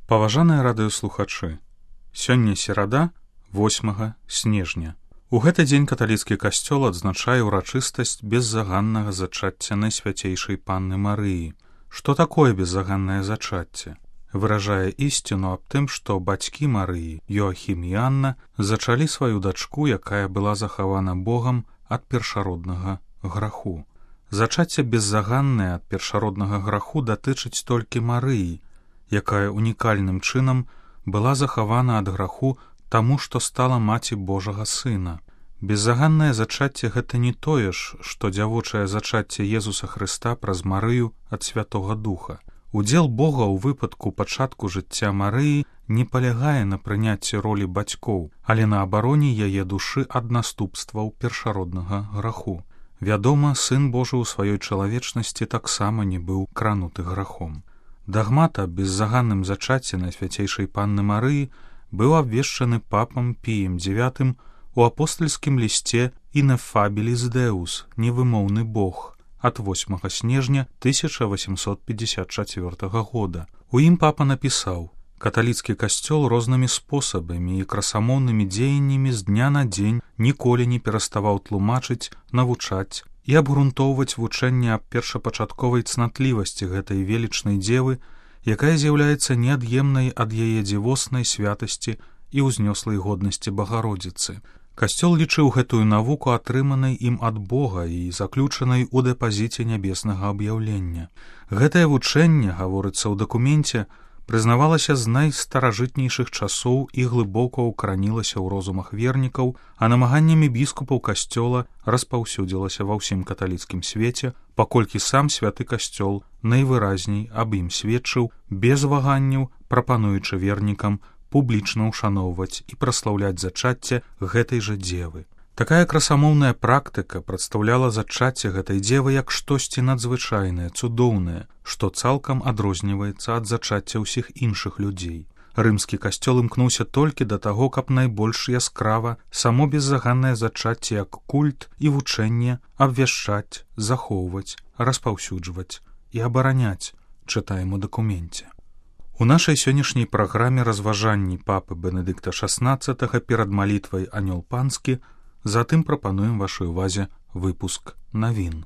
Паважаныя радыёслухачы, сёння серада, 8 снежня. У гэты дзень каталіцкі касцёл адзначае ўрачыстасць беззаганнага зачацця Найсвяцейшай Панны Марыі. Што такое беззаганнае зачацце? Выражае ісціну аб тым, што бацькі Марыі, Йоахім і Анна, зачалі сваю дачку, якая была захавана Богам ад першароднага граху. Зачацце беззаганнае ад першароднага граху датычыць толькі Марыі, якая унікальным чынам была захавана ад граху таму, што стала маці Божага Сына. Беззаганнае зачацце гэта не тое ж, што дзявочае зачацце Езуса Хрыста праз Марыю ад Святога Духа. Удзел Бога ў выпадку пачатку жыцця Марыі не палягае на прыняцці ролі бацькоў, але на абароне яе душы ад наступстваў першароднага граху. Вядома, Сын Божы ў сваёй чалавечнасці таксама не быў крануты грахом. Дагмат аб беззаганным зачацці Найсвяцейшай Панны Марыі быў абвешчаны папам Піем IX у апостальскім лісце «Ineffabilis Deus» – «Невымоўны Бог» ад 8 снежня 1854 года. У ім папа напісаў: «Каталіцкі касцёл рознымі спосабамі і красамоўнымі дзеяннямі з дня на дзень ніколі не пераставаў тлумачыць, навучаць і абгрунтоўваць вучэнне аб першапачатковай цнатлівасці гэтай велічнай дзевы, якая з'яўляецца неад'емнай ад яе дзівоснай святасці і ўзнёслай годнасці Багародзіцы. Касцёл лічыў гэтую навуку атрыманай ім ад Бога і заключанай у дэпазіце нябеснага аб'яўлення. Гэтае вучэнне, гаворыцца ў дакуменце, прызнавалася з найстаражытнейшых часоў і глыбока ўкаранілася ў розумах вернікаў, а намаганнямі біскупаў касцёла распаўсюдзілася ва ўсім каталіцкім свеце, паколькі сам святы касцёл найвыразней аб ім сведчыў, без ваганняў прапануючы вернікам публічна ўшаноўваць і праслаўляць зачацце гэтай жа дзевы. Такая красамоўная практыка прадстаўляла зачацце гэтай дзевы як штосьці надзвычайнае, цудоўнае, што цалкам адрозніваецца ад зачацця ўсіх іншых людзей. Рымскі касцёл імкнуўся толькі да таго, каб найбольш яскрава само беззаганнае зачацце як культ і вучэнне абвяшчаць, захоўваць, распаўсюджваць і абараняць, чытаем у дакуменце. У нашай сённяшняй праграме разважанні папы Бенедыкта XVI перад малітвай Анёл Панскі, затым прапануем вашай увазе выпуск навін.